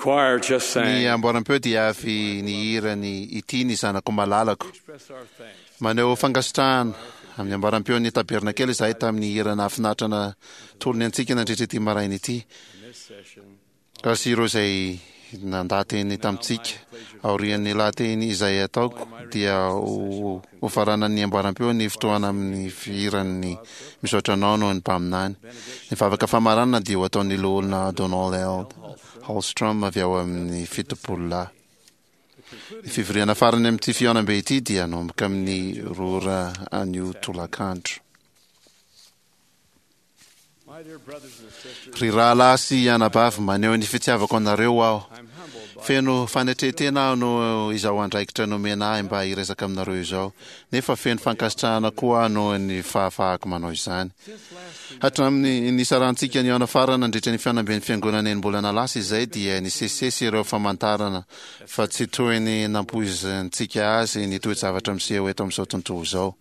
choir just Ny sang. amboaram-peo dia avy nihira ny Ity ny zanako malalako. Express our thanks. Maneho fankasitrahana amin'ny amboaram-peon'ny tabernakely izahay tamin'ny hira nahafinaritra natolony antsika nandritra ity maraina ity. In this session, Sy ireo izay nandaha-teny tamintsika. Aorian'ny lahateny izay ataoko dia ho hofaranan'ny amboaram-peo ny fotoana amin'ny fihiran'ny Misaotra Anao noho ny Mpaminany. Ny vavaka famaranana dia ho ataon'ny Loholona Donald L. Holstrom avy ao amin'ny Fitopololahy. Ny fivoriana farany amin'ity fihaonambe ity dia hanomboka amin'ny roa ora anio tolakandro. my dear brothers and sisters, Ry rahalahy sy anabavy, maneho ny fitiavako anareo aho. I'm humbled by Feno fanetren-tena aho noho izao andraikitra nomena ahy mba hiresaka aminareo izao, nefa feno fankasitrahana koa aho noho ny fahafahako manao izany. since last we Hatramin'ny nisarantsika nihaona farany nandritra ny fihaonamben'ny Fiangonana enim-bolana lasa izay dia nisesisesy ireo famantarana fa tsy toy ny nampoizintsika azy ny toe-javatra miseho eto amin'izao tontolo izao.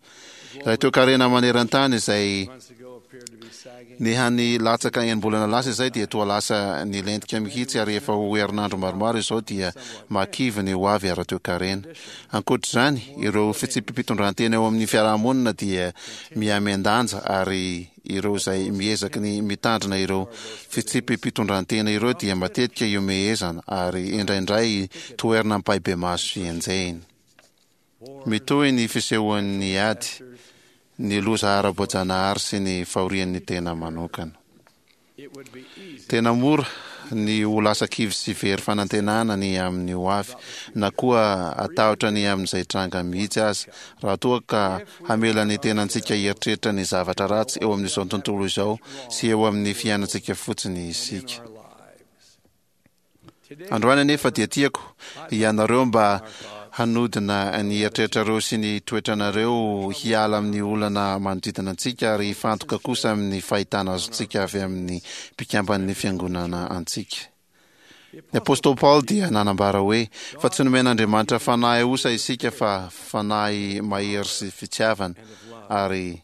Ilay toekarena maneran-tany izay months ago appeared to be sagging, nihany latsaka enim-bolana lasa izay dia toa lasa nilentika mihitsy ary efa ho herinandro maromaro izao dia mahakivy ny hoavy ara-toekarena. Ankoatr'izany, ireo fitsipi-pitondrantena eo amin'ny fiarahamonina dia mihamiandanja ary ireo izay miezaky ny mitandrina ireo fitsipi-pitondrantena ireo dia matetika ihomehezana ary indraindray toherina ampahibemaso sy enjehina. Mitohy ny fisehoan'ny ady, ny loza ara-boajanahary sy ny fahorian'ny tena manokana. it would be easy Tena mora ny ho lasa kivy sy very fanantenana ny amin'ny ho avy, na koa hatahotra ny amin'izay tranga mihitsy aza, raha toa ka hamela ny tenantsika hieritreritra ny zavatra ratsy eo amin'izao tontolo izao sy eo amin'ny fiainantsika fotsiny in isika. our lives. Today, Androany anefa dia tiako ianareo mba hanodina ny eritreritrareo sy ny toetranareo hiala amin'ny olana manodidina antsika ary hifantoka kosa amin'ny fahitana azontsika avy amin'ny mpikamban'ny fiangonana antsika. the Ny Apostle apostoly Paoly dia nanambara hoe fa tsy nomen'Andriamanitra fanahy osa isika fa fanahy mahery sy fitiavana and of love ary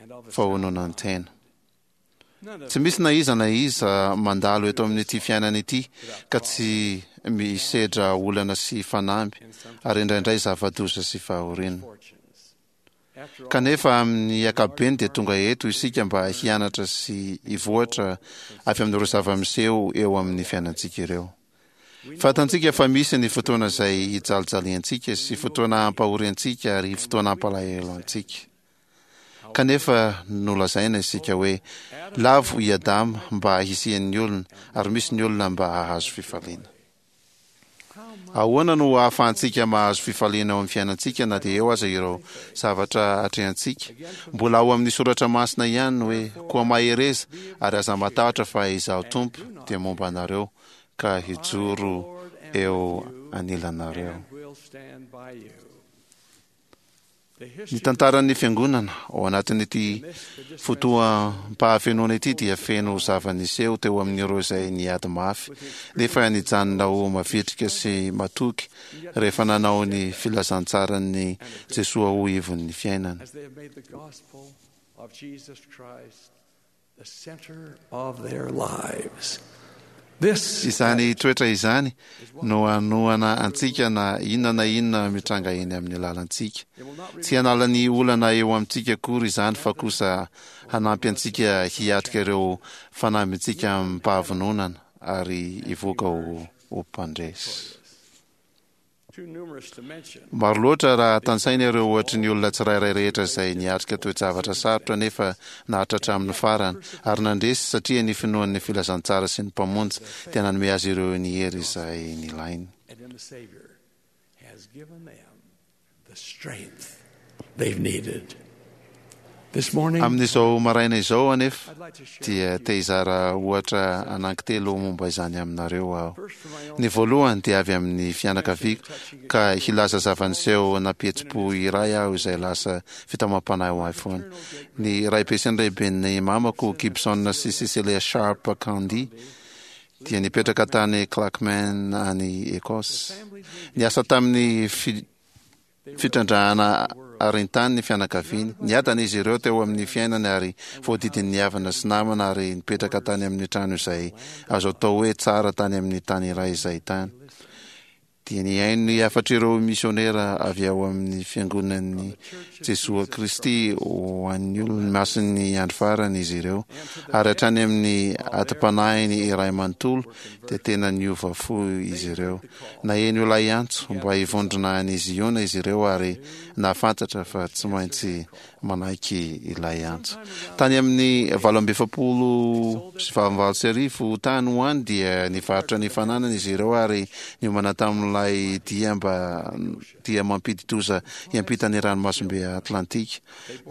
and of a sound fahononan-tena. mind. None of Tsy us misy na iza na iza mandalo eto amin'ity fiainana ity without ka problems tsy misedra olana sy fanamby and ary sometimes indraindray zava-doza sy fahoriana. misfortunes. After all, Kanefa amin'ny in large ankapobeny dia part, tonga eto isika mba learn hianatra sy and grow hivoatra from avy amin'ireo circumstances zava-miseho eo in our amin'ny lives. fiainantsika ireo. We know that Fantantsika fa there are misy ny times fotoana when we izay suffer hijalijaliantsika and sy we will fotoana grieve hampahoriantsika ary and fotoana we will be hampalahelo sad. antsika. However, Kanefa nolazaina isika both hoe Adam lavo i might Adama mba be hisian'ny olona and ary we misy ny are olona mba to hahazo have fifaliana. joy. How much Ahoana no more ahafahantsika mahazo fifaliana ao amin'ny fiainantsika na despite dia eo all aza that ireo we face? zavatra atrehantsika? Again from the Mbola ao amin'ny scriptures, soratra masina ihany ny hoe koa therefore mahereza be of ary good aza cheer matahotra fa izaho and Tompo do not dia momba fear, anareo ka for I am the hijoro Lord am with eo you anilanareo. and will stand by you. The Ny history of the tantaran'ny church fiangonana ao anatin'ity amidst the dispensation fotoam-pahafenoana ity dia holds the feno time zava-niseho teo amin'ireo izay niady mafy with the nefa experiences of nijanona ho those who mavitrika sy struggled matoky and yet rehefa remained nanao ny steadfast filazantsaran'ny and of good Jesoa ho cheer ivon'ny fiainana. as they have made the gospel of Jesus Christ the center of their lives. This Izany attitude toetra izany is what no will hanohana through antsika na inona na inona mitranga eny amin'ny lalantsika. It will not Tsy remove hanala ny olana eo amintsika akory izany fa Rather, kosa will hanampy enable us to antsika overcome hiatrika ireo challenges fanambintsika meet them head on, amim-pahavononana ary and hivoaka ho emerge ho mpandresy. victorious. Too numerous to mention, Maro loatra raha the tanisaina ireo examples of ohatry ny all olona those tsirairay who rehetra faced izay niatrika difficult toe-javatra sarotra nefa circumstances nahatratra and amin'ny yet farany ary persevered nandresy satria ny finoan'ny filazantsara sy ny mpamonjy because their dia faith nanome azy ireo ny in the hery gospel izay nilainy. and in the Savior has given them the strength they've needed. This morning, Amin'izao maraina izao anefa I'd like to share dia with te you hizara ohatra several anankitelo momba izany aminareo aho. First, from my own Ny family, voalohany dia avy amin'ny to mention a fianakaviako touching ka experience hilaza that zava-niseho always been an nampihetsi-po iray inspiration aho for izay me. lasa fitaomam-panahy ho My ahy foana. maternal great Ny raibe sy ny grandparents, raiben'ny mamako Gibson and Gibson sy Cecilia Cecilia Sharp Sharp Candy Condie, dia lived in nipetraka Clackmannan. tany Clackmannan any The Écosse. family's Niasa engagement tamin'ny fi- fitrandrahana arintany ny fianakaviany. Niadana izy ireo teo amin'ny fiainany ary voadidin'ny havana sy namana ary nipetraka tany amin'ny trano izay azo atao hoe tsara tany amin'ny tany iray izay tany. Dia nihaino ny hafatr'ireo misionera avy ao amin'ny Fiangonan'i Jesoa Kristy ho an'ny olony masin'ny andro farany izy ireo, ary hatrany amin'ny atim-panahiny iray manontolo dia tena niova fo izy ireo. Naheno ilay antso mba hivondrona any Ziona izy ireo ary nahafantatra fa tsy maintsy manaiky ilay antso. Tany amin'ny 1848 tany ho any dia nivarotra ny fananany izy ireo ary niomana tamin'ilay dia mba dia mampidi-doza hiampita ny ranomasimbe Atlantika.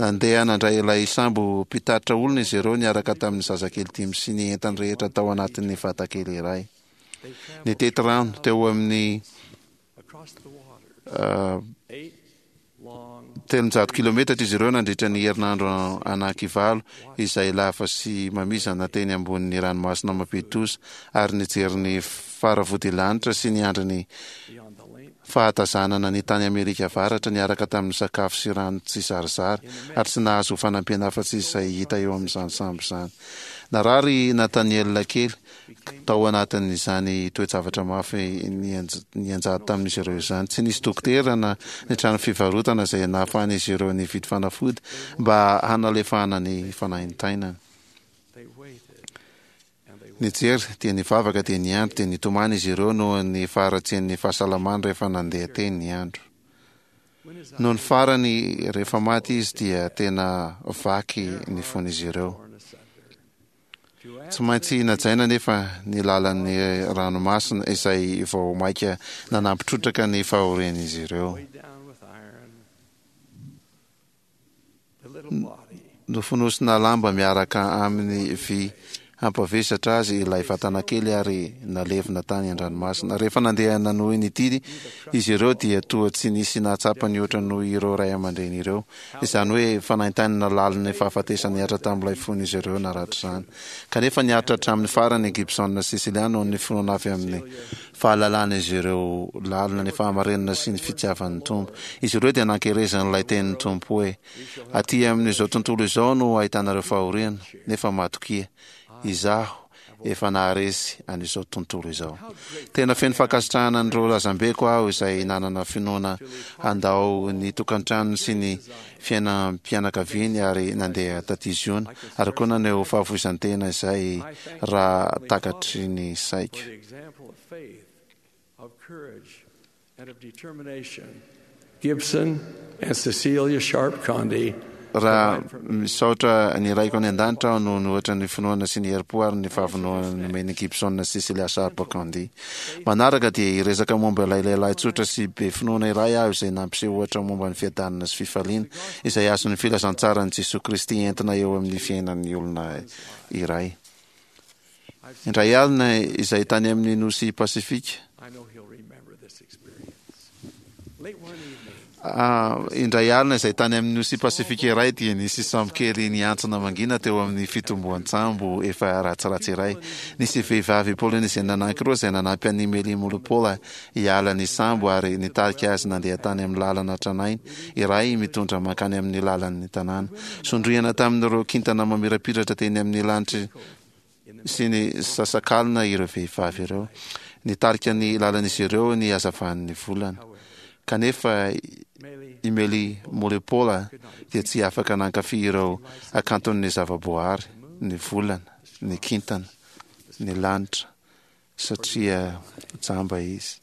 Nandeha nandray ilay sambo mpitatitra olona izy ireo niaraka tamin'ny zazakely dimy sy ny entany rehetra tao anatin'ny vatakely iray. Nitety rano teo amin'ny 300 kilometatra izy ireo nandritra ny herinandro anankivallo izay lava sy mamizana teny ambonin'ny ranomasina mampidi-doza ary nijery ny faravodilanitra sy ny andrin'ny fahatazanana ny tany Amerika Avaratra niaraka tamin'ny sakafo sy rano tsy zarizary ary tsy nahazo fanampiana afa-tsy izay hita eo amin'izany sambo izany. Narary i Nathaniel kely tao anatin'izany toe-javatra mafy nianjady tamin'izy ireo izany. Tsy nisy dokotera na ny trano fivarotana izay nahafahan'izy ireo nividy fanafody mba hanalefahana ny fanaintainany. Nijery, dia nivavaka, dia niandry, dia nitomany izy ireo noho ny faharatsian'ny fahasalamany rehefa nandeha teny ny andro. Nony farany, rehefa maty izy, dia tena vaky ny fon'izy ireo. Tsy maintsy najaina anefa ny lalan'ny ranomasina izay vao mainka nanampy trotraka ny fahorian'izy ireo. Nofonosina lamba miaraka amin'ny vy hampavesatra azy ilay vatana kely ary nalevina tany an-dranomasina. Rehefa nandeha nanohy ny didy izy ireo dia toa tsy nisy nahatsapa nihoatra noho ireo ray aman-dreny ireo. Izany hoe fanaintainana lalin'ny fahafatesana nihatra tamin'ilay fon'izy ireo naratra izany. Kanefa niaritra hatramin'ny farany i Gibson sy Cecilia noho ny finoana avy amin'ny fahalalan'izy ireo lalina ny fahamarinana sy ny fitiavan'ny Tompo. Izy ireo dia nankerezan'ilay tenin'ny Tompo hoe, Aty amin'izao tontolo izao no ahitanareo fahoriana, nefa matokia, Izaho efa naharesy an'izao tontolo izao. Tena feno fankasitrahana an'ireo razambeko aho izay nanana finoana handao ny tokantranony sy ny fiainam-pianakaviany ary nandeha taty Ziona, ary koa naneho fahafoizan-tena izay raha takatry ny saiko. Gibson and Cecilia Sharp Condie Raha misaotra ny Raiko any An-danitra aho noho ny ohatra ny finoana sy ny herim-po ary ny fahavononana nomen'i Gibson sy Cecilia Sharp Condie. Manaraka dia hiresaka momba ilay lehilahy tsotra sy be finoana iray aho izay nampiseho ohatra momba ny fiadanana sy fifaliana izay azon'ny filazantsaran'i Jesoa Kristy entina eo amin'ny fiainan'ny olona iray. Indray alina izay tany amin'ny nosy Pasifika, indray alina izay tany amin'ny nosy Pasifika iray dia nisy sambo kely niantsona mangina teo amin'ny fitomboan-tsambo efa ratsiratsy iray. Nisy vehivavy Polyneziana anankiroa izay nanampy an'i Meli Molopola hiala ny sambo ary nitarika azy nandeha tany amin'ny lalana tranainy iray mitondra mankany amin'ny lalan'ny tanàna. Sondriana tamin'ireo kintana mamirapiratra teny amin'ny lanitry sy ny sasakalina ireo vehivavy ireo. Nitarika ny lalan'izy ireo ny hazavan'ny volana. Kanefa i Meli Molepola dia tsy afaka nankafy ireo hakanton'ny zavaboahary, ny volana, ny kintana, ny lanitra, satria jamba izy.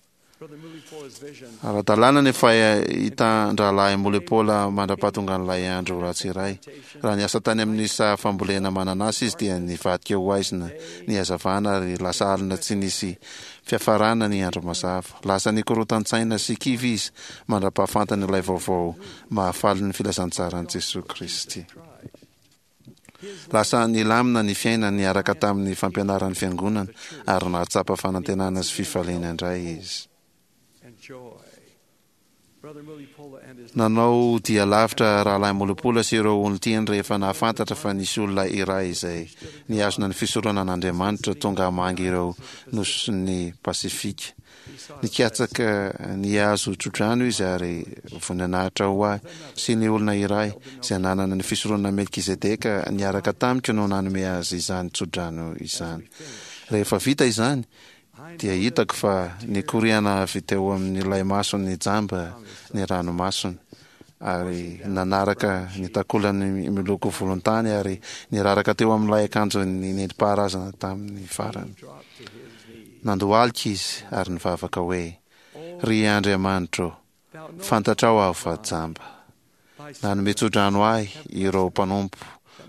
Ara-dalàna ny fahitan-drahalahy Molepola mandra-pahatongan'ilay andro ratsy iray. Raha niasa tany amin'ny saha fambolena mananasy izy dia nivadika ho haizina ny hazavana ary lasa alina tsy nisy fiafarana ny andro mazava. Lasa nikorotan-tsaina sy kivy izy mandra-pahafantany ilay vaovao mahafalin'ny filazantsaran'i Jesoa Kristy. Lasa nilamina ny fiainany niaraka tamin'ny fampianaran'ny Fiangonana ary nahatsapa fanantenana sy fifaliana indray izy. Nanao dia lavitra Rahalahy Mulipola sy ireo olon-tiany rehefa nahafantatra fa nisy olona iray izay nihazona ny fisoronana an'Andriamanitra tonga hamangy ireo nosin'ny Pasifika. Nikatsaka ny hahazo tsodrano izy ary voninahitra ho ahy sy ny olona iray izay nanana ny fisoronana Melkizedeka niaraka tamiko no nanome azy izany tsodrano izany. Rehefa vita izany, dia hitako fa nikoriana avy teo amin'ilay masony jamba ny ranomasony, ary nanaraka ny takolany miloko volontany ary niraraka teo amin'ilay akanjony nentim-paharazana tamin'ny farany. Nandohalika izy ary nivavaka hoe, Ry Andriamanitro ô, Fantatrao aho fa jamba. Nanome tsodrano ahy ireo mpanompo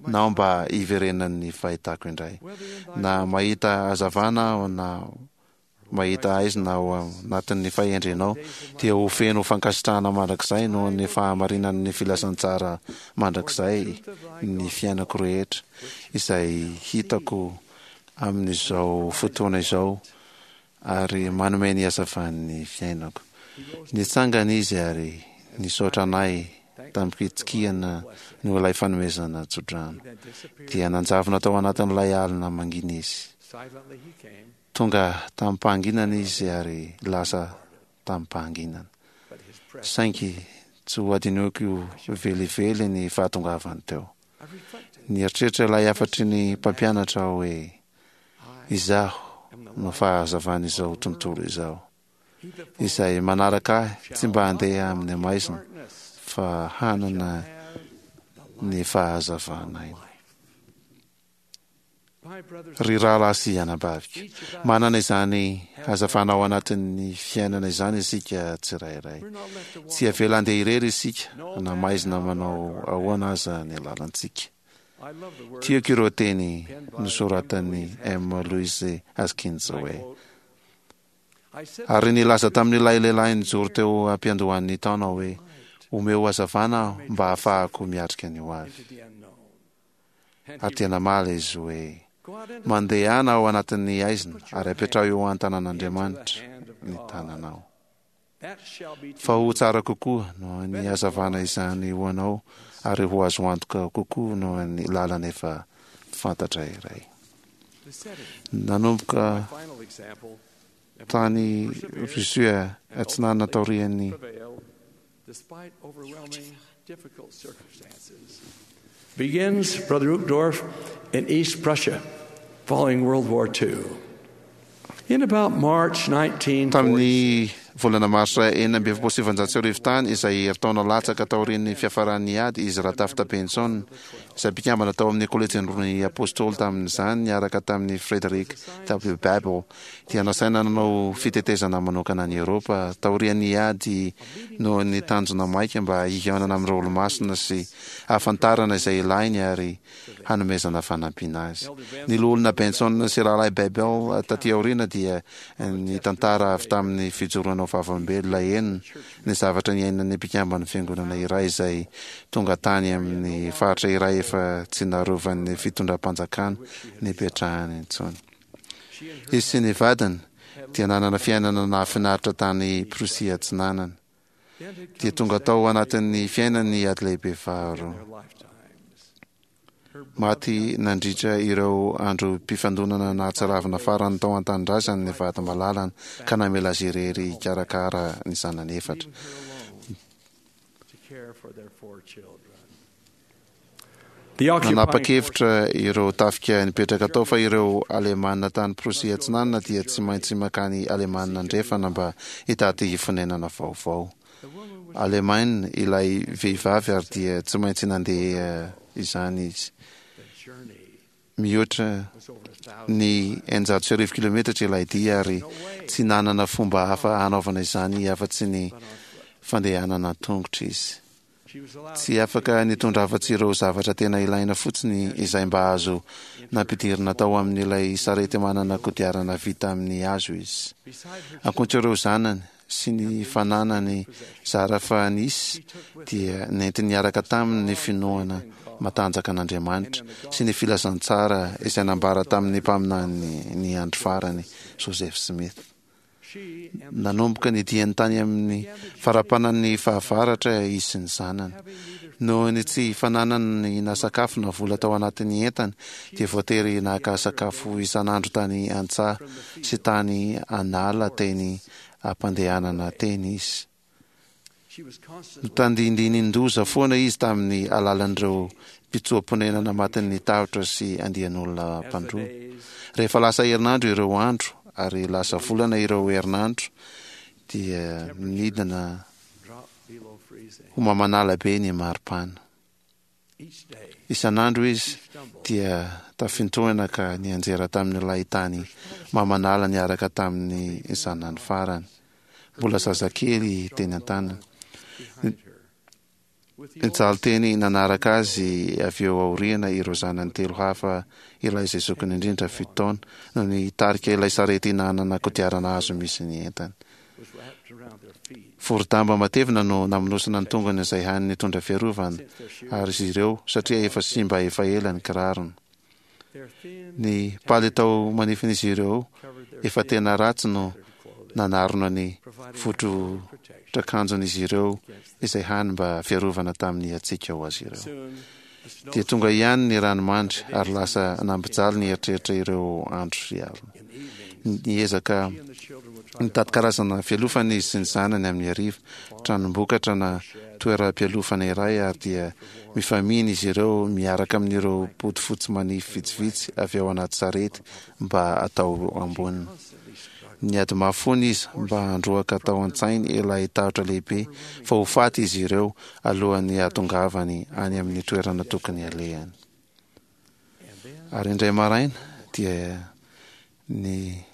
nao mba hiverenan'ny fahitako indray. Na mahita hazavana aho na mahita haizina ao anatin'ny fahendrenao, dia ho feno fankasitrahana mandrakizay noho ny fahamarinan'ny filazantsara mandrakizay ny fiainako rehetra, izay hitako amin'izao fotoana izao ary manome ny hazavan'ny fiainako. Nitsangana izy ary nisaotra anay tamim-pitsikiana noho ilay fanomezana tsodrano. Dia nanjavona tao anatin'ilay alina mangina izy. Tonga tamim-pahanginana izy ary lasa tamim-pahanginana. Saingy tsy ho hadinoiko velively ny fahatongavany teo. Nieritreritra ilay hafatry ny mpampianatra aho hoe, Izaho no fahazavan'izao tontolo izao. Izay manaraka ahy tsy mba handeha amin'ny maizina fa hanana ny fahazavan'aina. Ry rahalahy sy anabaviko, manana izany hazavana ao anatin'ny fiainana izany isika tsirairay. Tsy avela handeha irery isika na maizina manao ahoana aza ny lalantsika. Tiako ireo teny nosoratan'i M. Louise Haskins hoe, Ary nilaza tamin'ilay lehilahy nijoro teo am-piandohan'ny taona aho hoe, 'Omeo hazavana aho mba hahafahako miatrika ny hoavy. Ary dia namaly izy hoe, Mandehana ao anatin'ny haizina ary apetraho eo an-tanan'Andriamanitra ny tananao. Fa ho tsara kokoa noho ny hazavana izany ho anao ary ho azo antoka kokoa noho ny lalana efa fantatra iray. Nanomboka tany Russie Atsinanana taorian'ny. Despite overwhelming difficult circumstances. Begins, Brother Uchtdorf, in East Prussia following World War II. In about March 1946. Tamin'ny volana marsa 1946 tany, izay herintaona latsaka taorian'ny fiafaran'ny ady, izy Ratafta Benson, izay mpikambana tao amin'ny Kolejin'ny Apostoly tamin'izany niaraka tamin'i Frederick W. Babel, dia nasaina nanao fitetezana manokana an'i Eoropa taorian'ny ady noho ny tanjona maika mba hihaonana amin'ireo Olomasina sy hahafantarana izay ilainy ary hanomezana fanampiana azy. Ny Loholona Benson sy Rahalahy Babel taty aoriana dia nitantara avy tamin'ny fijoroana ho vavolombelona henony ny zavatra niainan'ny mpikamban'ny Fiangonana iray izay tonga tany amin'ny faritra iray efa tsy narovan'ny fitondram-panjakana nipetrahany intsony. Izy sy ny vadiny dia nanana fiainana nahafinaritra tany Prussie Atsinanana. Dia tonga tao anatin'ny fiainany ny Ady Lehibe Faharoa. Maty nandritra ireo androm-pifandonana nahatsiravina farany tao an-tanindrazany ny vady malalany ka namela azy irery hikarakara ny zanany efatra. Nanapa-kevitra ireo tafika nipetraka tao fa ireo Alemana tany Prosia Atsinanana dia tsy maintsy mankany Alemana Andrefana mba hitady fonenana vaovao. Alemaina ilay vehivavy ary dia tsy maintsy nandeha izany izy. Mihoatra ny 1600 kilometatra ilay dia ary tsy nanana fomba hafa hanaovana izany afa-tsy ny fandehanana an-tongotra izy. Tsy afaka nitondra afa-tsy ireo zavatra tena ilaina fotsiny izay mba azo nampidirina tao amin'ilay sarety manana kodiarana vita amin'ny hazo izy. Ankoatra ireo zanany sy ny fananany zara fa nisy dia nentiny niaraka taminy ny finoana matanjaka an'Andriamanitra sy ny filazantsara izay nambara tamin'ny mpaminany ny andro farany, Joseph Smith. Nanomboka ny diany tany amin'ny farapanan'ny fahavaratra izy sy ny zanany. Noho ny tsy fananany na sakafo na vola tao anatin'ny entany, dia voatery naka sakafo isan'andro tany an-tsaha sy tany an'ala teny am-pandehanana teny izy. Notandindonin-doza foana izy tamin'ny alalan'ireo mpitsoa-ponenana matin'ny tahotra sy andian'olona mpandroba. Rehefa lasa herinandro ireo andro ary lasa volana ireo herinandro, dia nidina ho mamanala be ny maripana. Isan'andro izy dia tafintohina ka nianjera tamin'ilay tany mamanala niaraka tamin'ny zanany farany, mbola zazakely teny an-tanany. Nijaly teny nanaraka azy avy eo aoriana ireo zanany telo hafa, ilay izay zokiny indrindra, fito taona, no nitarika ilay sarety nanana kodiarana hazo misy ny entany. Vorodamba matevina no namonosana ny tongony izay hany nitondra fiarovana azy ireo satria efa simba efa ela ny kirarony. Ny palitao manifin'izy ireo efa tena ratsy no nanarona ny votrotrakanjon'izy ireo izay hany mba fiarovana tamin'ny hatsiaka ho azy ireo. Dia tonga ihany ny ranomandry ary lasa nampijaly ny eritreritra ireo andro sy alina. Niezaka nitady karazana fialofana izy sy ny zanany amin'ny hariva, tranom-bokatra na toeram-pialofana iray ary dia mifamihina izy ireo miaraka amin'ireo bodofotsy manify vitsivitsy avy ao anaty sarety mba atao amboniny. Niady mafy foana izy mba handroaka tao an-tsainy ilay tahotra lehibe fa ho faty izy ireo alohan'ny hahatongavany any amin'ny toerana tokony halehany. Ary indray maraina dia ny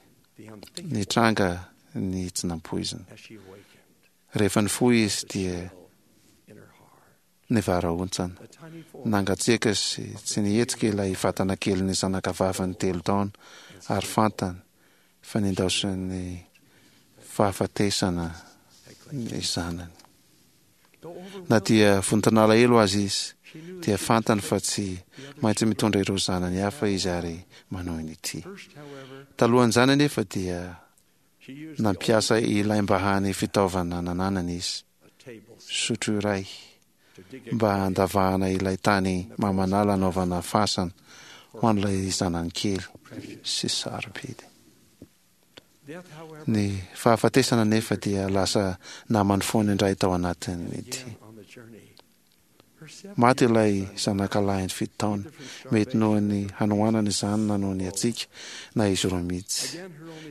nitranga ny tsy nampoizina. Rehefa nifoha izy dia nivarahontsana. Nangatsiaka sy tsy nihetsika ilay vatana kelin'ny zanakavaviny telo taona ary fantany fa nindaosin'ny fahafatesana ny zanany. Na dia vonton'alahelo aza izy, dia fantany fa tsy maintsy mitondra ireo zanany hafa izy ary manohy ny tia. Talohan'izany anefa dia nampiasa ilay mba hany fitaovana nananany izy, sotro iray, mba handavahana ilay tany mamanala hanaovana fasana ho an'ilay zanany kely sy sarobidy. Ny fahafatesana anefa dia lasa namany foana indray tao anatin'ity. Maty ilay zanakalahiny fito taona, mety noho ny hanoanana izany na noho ny hatsiaka, na izy roa mihitsy.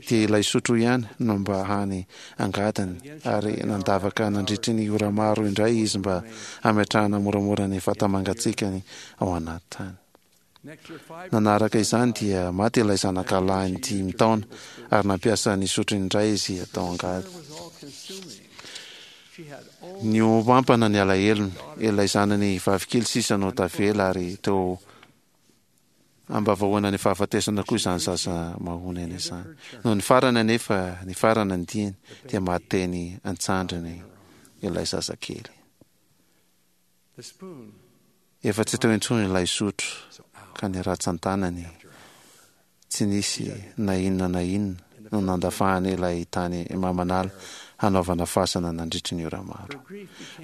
Dia ilay sotro ihany no mba hany angadiny, ary nandavaka nandritry ny ora maro indray izy mba hametrahana moramora ny vata-mangatsiakany ao anaty tany. Nanaraka izany dia maty ilay zanakalahiny dimy taona ary nampiasa ny sotrony indray izy atao angady. Nihoampampana ny alahelony, ilay zanany vavikely sisa no tavela ary teo ambavahoana ny fahafatesana koa izany zaza mahonena izany. Nony farany anefa nifarana ny diany dia maty teny an-tsandriny ilay zazakely. Efa tsy teo intsony ilay sotro ka ny ratsan-tanany tsy nisy na inona na inona no nandavahany ilay tany mamanala hanaovana fasana nandritry ny ora maro.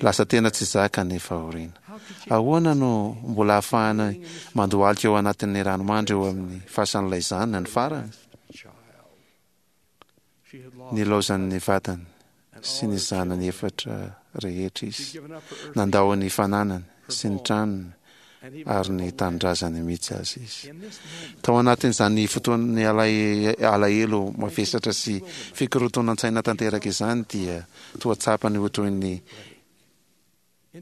Lasa tena tsy zaka ny fahoriana. Ahoana no mbola ahafahany mandohalika eo anatin'ny ranomandry eo amin'ny fasan'ilay zanany farany? Nilaozan'ny vadiny sy ny zanany efatra rehetra izy. Nandao ny fananany sy ny tranony ary ny tanindrazany mihitsy aza izy. Tao anatin'izany fotoan'ny alahelo mavesatra sy fikorontanan-tsaina tanteraka izany dia toa tsapany ho toy ny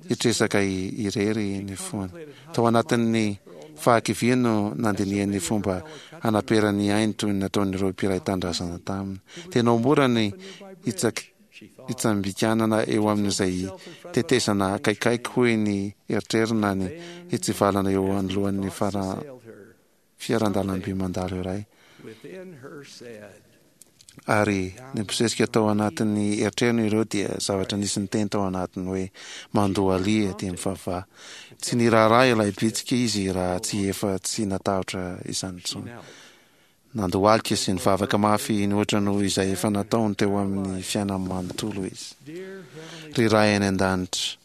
hitresaka irery ny fony. Tao anatin'ny fahakiviany no nandinihany ny fomba hanaperany ny ainy toy ny nataon'ireo mpiray tanindrazana taminy. Tena ho mora ny hitsambikanana eo amin'izay tetezana akaikikaiky hoy ny eritreriny na ny hitsivalana eo anoloan'ny fiarandalamby mandalo iray. Ary nibosesika tao anatin'ny eritreriny ireo dia zavatra nisy niteny tao anatiny hoe, Mandohalia dia mivavaha. Tsy niraharaha ilay bitsika izy raha tsy efa tsy natahotra izany intsony. Nandohalika sy nivavaka mafy nihoatra noho izay efa nataony teo amin'ny fiainany manontolo izy. Ry Ray any An-danitra,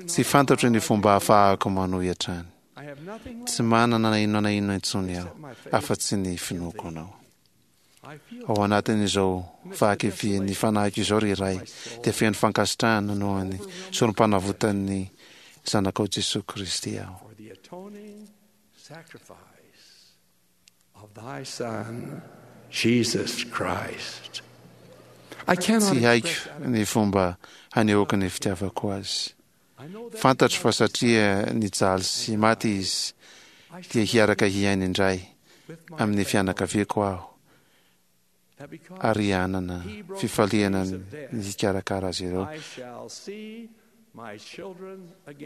tsy fantatro ny fomba ahafahako manohy hatrany. Tsy manana na inona na inona intsony aho, afa-tsy ny finoako Anao. Ao anatin'izao fahakivian'ny fanahiko izao, ry Ray, dia feno fankasitrahana noho ny sorom-panavotan'ny Zanakao Jesoa Kristy aho. Tsy haiko ny fomba hanehoako ny fitiavako Azy. Fantatro fa satria nijaly sy maty Izy, dia hiaraka hiaina indray amin'ny fianakaviako aho ary hanana fifaliana ny hikarakara azy ireo.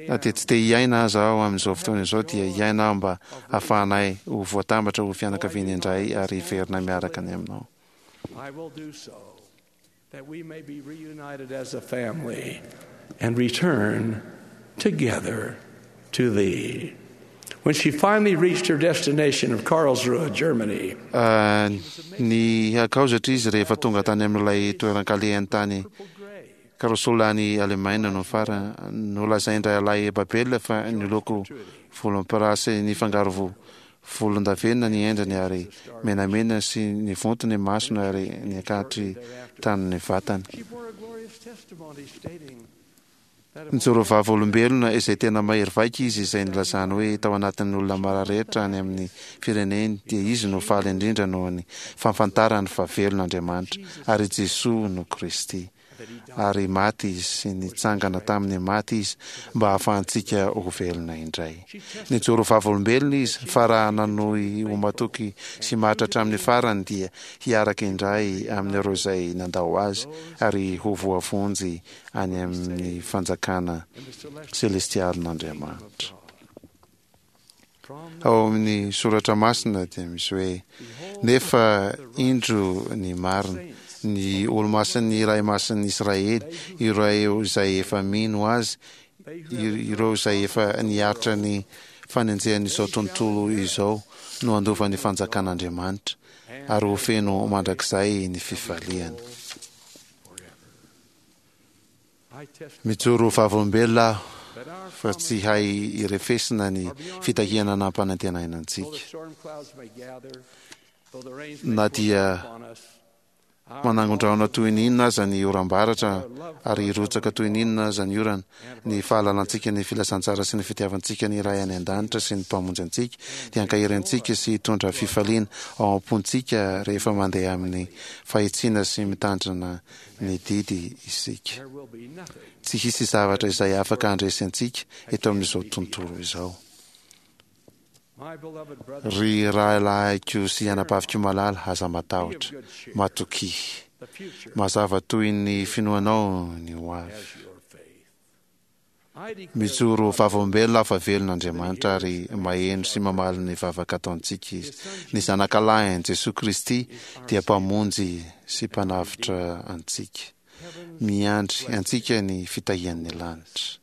Na dia tsy te hiaina aza aho amin'izao fotoana izao, dia hiaina aho mba hahafahanay ho voatambatra ho fianakaviana indray ary hiverina miaraka any aminao. That we may be reunited as a family and return together to thee. When she finally reached her destination of Karlsruhe, Germany, Ny hakaozatra izy rehefa tonga tany amin'ilay toeran-kalehany tany Karlsruhe any Alemaina no farany. Nolazain-drahalahy Babel fa niloko volomparasy nifangaro Volondavenona ny endriny ary menamena sy nivonto ny masony ary niakatry tanin'ny vatany. Nijoro vavolombelona izay tena mahery vaika izy izay nilazany hoe tao anatin'ny olona mara rehetra any amin'ny fireneny dia izy no faly indrindra noho ny fahafantarany fa velona Andriamanitra ary Jesoa no Kristy. ary maty Izy sy nitsangana tamin'ny maty Izy mba hahafahantsika ho velona indray. Nijoro vavolombelona Izy fa raha nanohy ho matoky sy maty hatramin'ny farany dia hiaraka indray amin'ireo izay nandao Azy ary ho voavonjy any amin'ny fanjakana selestialin'Andriamanitra. Ao amin'ny soratra masina dia misy hoe, Nefa indro ny marina, ny olo-masin'ny Iray Masin'ny Israely, ireo izay efa mino Azy, ireo izay efa niaritra ny fanenjehan'izao tontolo izao no handova ny fanjakan'Andriamanitra, ary ho feno mandrakizay ny fifaliany. Mijoro ho vavolombelona aho fa tsy hay irefesina ny fitahiana nampanantenaina antsika. Na dia manangon-drahona toy ny inona aza ny oram-baratra ary hirotsaka toy ny inona aza ny orana, ny fahalalantsika ny filazantsara sy ny fitiavantsika ny Ray any An-danitra sy ny Mpamonjy antsika dia hankahery antsika sy hitondra fifaliana ao am-pontsika rehefa mandeha amin'ny fahitsiana sy mitandrina ny didy isika. Tsy hisy zavatra izay afaka handresy antsika eto amin'izao tontolo izao. Ry rahalahiko sy anabaviko malala, aza matahotra. Matokia. Mazava toy ny finoanao ny ho avy. Mijoro ho vavolombelona aho fa velona Andriamanitra ary maheno sy mamaly ny vavaka ataontsika Izy. Ny Zanakalahiny, Jesoa Kristy, dia Mpamonjy sy Mpanavotra antsika. Miandry antsika ny fitahian'ny lanitra.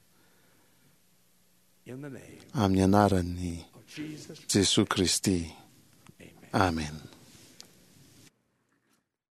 Amin'ny anaran'i Jesoa Kristy. Amena.